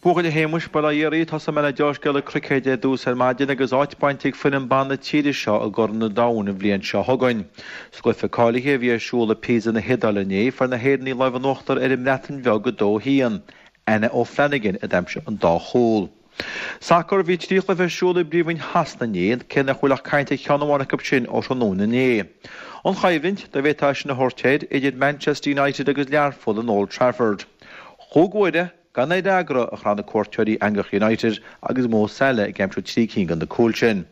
Buachaill a Shéamuis, bail ó Dhia oraibh, tosóidh mé le deá-scéala cruicéid ar dtús ar maidin agus áit bainte ag foireann ban na tíre seo i gCorn an Domhain an bhliain seo chugainn. Sa gcluiche cáilithe a bhí ar siúl i Pisa na hIodáile inné, fuair na hÉireannaigh lámh in uachtar ar an mBreatain Bheag 2-1. Anna O'Flanagan a d'aimsigh an dá chúl. Sacar, Bhí 3 chluiche ar siúl i bPríomhroinn Shasana inné, cé nach bhfuil ach caint ar cheann amháin acu sin ó thráthnóna inné. An choimhlint, dá bhféadfá é sin a thabhairt air, idir Manchester United agus Learpholl in Old Trafford. Chúig uaire, Gan aon fhreagra a chraith na cuairteoirí eangach United agus Mo Salah ag aimsiú 3 cinn de na cúil sin.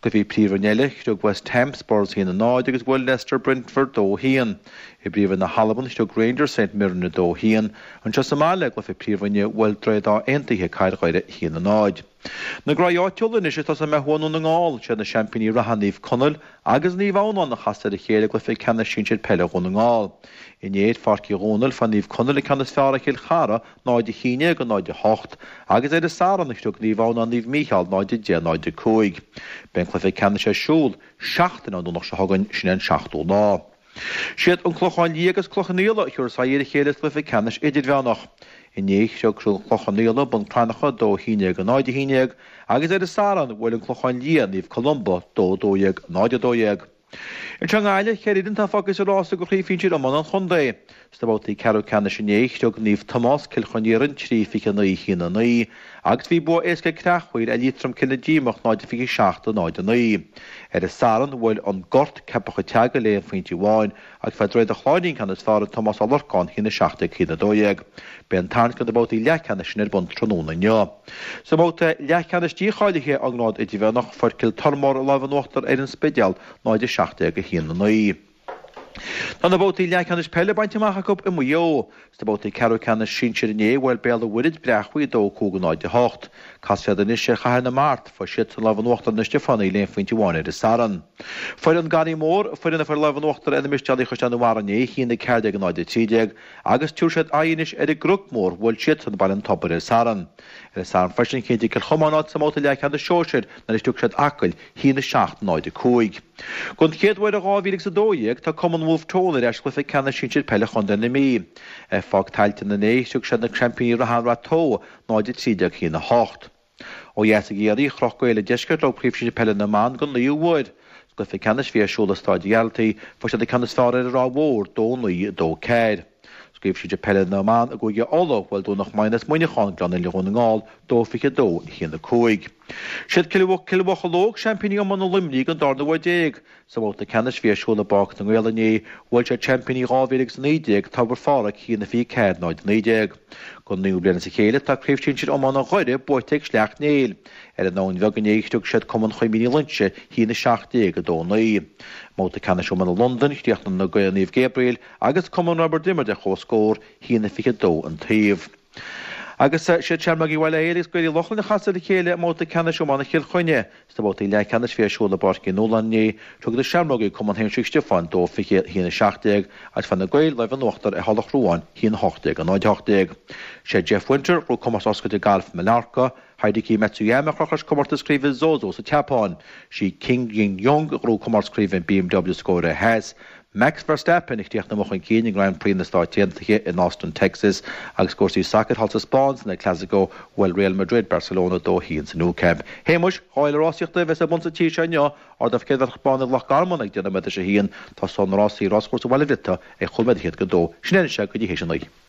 I gcluichí Príomhroinne eile, chriog West Ham Spurs 1-0 agus bhuail Leicester Brentford 2-1. I bPríomhroinn na hAlban, chriog Rangers St Mirren 2-1. Anseo sa mbaile, i gcluiche Príomhroinne, bhuail Droichead Átha Aontaithe Cathair Dhoire 1-0. Na graí áitiúla anois ag tosóidh mé thuaidh i nDún na nGall. Siad na seaimpíní reatha Naomh Conaill agus Naomh Adhamhnáin a chas ar a chéile i gcluiche ceannais sinsir peile Dhún na nGall. Inné ar Pháirc Uí Dhónaill fuair Naomh Conaill an ceann is fearr ar Chill Chartha 0-11 0-8 agus ar an Satharn chriog Naomh Adhamhnáin Naomh Mícheál 0-10 0-5. Beidh an cluiche ceannais ar siúl seachtain ón Domhnach seo chugainn, sin é an seachtú lá. Siad an Clochán Liath agus Cloich Cheann Fhaola a thiúrfas aghaidh ar a chéile sa gcluiche ceannais idirmheánach. Inné chriog an Clochán Liath Bun Cranncha 2 11 0 11 agus ar an Satharn bhuail an Clochán Liath Naomh Columba 2 12 0 12. Anseo i nGaillimh, ceithre fhoireann atá fágtha sa rása do chraobh shinsir iomána an chontae. Sna babhtaí ceathrú ceannais inné, chriog Naomh Tomás, Cill Chon Iarainn, 3 29 1 9, agus bhí bua éasca ag Creachmhaoil ar Liatroim Cill na Díomach 0 27 0 9. Ar an Satharn, bhuail An Gort, Ceapach an tSeagail le aon phointe amháin agus fuair Droichead an Chláirín an ceann is fearr ar Tomás Ó Lorcáin 1 17 1 12. Beidh an tarraingt do na babhtaí leathcheannais sin ar bun tráthnóna inniu. Sa mbabhta leathcheannais dícháilithe ón ngrád idirmheánach, fuair Cill Tormóir an lámh in uachtar ar An Spidéal 0 17 1 9. Tá na babhtaí leathcheannais peile bainte amach acu i Maigh Eo. Sna babhtaí ceathrú ceannais sinsir inné, bhuail Béal an Mhuirthead Breac Bhuí 2 5 0 8. Casfaidh siad anois ar Chathair na Mart, fuair siadsan an lámh in uachtar ar na Stiofánaigh le aon phointe amháin ar an Satharn. Fuair an Garraí Mór, foireann a fuair an lámh in uachtar ar na Mistéalaigh Chaisleán an Bharraigh inné, 1 14 0 13, agus tiúrfaidh siad aghaidh anois ar an gCnoc Mór, bhuail siadsan Baile an Tobair ar an Satharn. Ar an Satharn freisin, chinntigh Cill Chomáin áit sa mbabhta leathcheannais sóisir nuair a chriog siad Acaill 1 7 0 5. Don chéad uair ó 2012, tá Cumann Bhulf Tón ar ais i gcluiche ceannais sinsir peile Chontae na Mí. Ar Pháirc Tailteann inné, chriog siad na seaimpíní reatha An Rath Tó 0 13 1 8. Ó dheas i gCiarraí, chroch Gaeil an Deiscirt leo Craobh Shinsir Peile na mBan don naoú huair. Sa gcluiche ceannais a bhí ar siúl i Stáid Ghearaltaigh, fuair siad an ceann is fearr ar an Ráth Mhór, 2 9 2 4. Sa gCraobh Shinsir Peile na mBan i gCúige Uladh, bhuail Domhnach Maighean as Muineachán, Gleann Fhinne Dhún na nGall, 2 22 1 5. Siad Cill Mhocheallóg seaimpíní iomána Luimnigh don darna huair déag. Sa bhabhta ceannais a bhí ar siúl i bPáirc na nGael inné, bhuail siad seaimpíní 2019, Tobar Phádraig, 1 24 0 19. Don naoú bliain as a chéile tá Craobh Shinsir Iomána Dhoire buaite ag Sleacht Néill. Ar an Abhainn Bheag inné, chriog siad Cumann Chuimín Uí Loingsigh, 1 17 2 9. I mbabhta ceannais iomána Londain, chríochnaigh na Gaeil Naomh Gabriel agus Cumann Roibeard Iomaire ar comhscór, 1 22 an taobh. Agus siad Seamrógaí Bhaile Héil agus Gaeil Uí Lochlainn a chas ar a chéile i mbabhta ceannais iomána Chill Chainnigh. Sna babhtaí leathcheannais a bhí ar siúl i bPáirc Uí Nualláin inné, thug na Seamrógaí Cumann Shéamuis Mhic Stiofáin 2 20 1 17 agus fuair na Gaeil lámh in uachtar ar Thulach Ruáin 1 18 0 18. Sé Jeff Winter a ghnóthaigh Comórtas Oscailte Gailf Mallorca, Hideki Matsuyama a chroch leis Comórtas Craoibhe Zozo sa tSeapáin, sí Kim Jin Young a ghnóthaigh Comórtas Craoibhe BMW sa gCóiré Theas, Max Verstappen a chríochnaigh amuigh chun cinn i nGrand Prix na Stáit Aontaithe in Austin, Texas agus i gcúrsaí sacair thall sa Spáinn san El Clasico, bhuail Real Madrid Barcelona 2 1 sa Nou Camp. Shéamuis, 2 fhéile rásaíochta a bheas ar bun sa tír seo inniu, Ardán Chéad Bhán i Loch Garman ag deich nóiméad théis a haon, tosóidh na rásaí i Ráschúrsa Bhaile Bhriotaigh ag chúig nóiméad théis a dó. Sin é anois go dtí théis a naoi.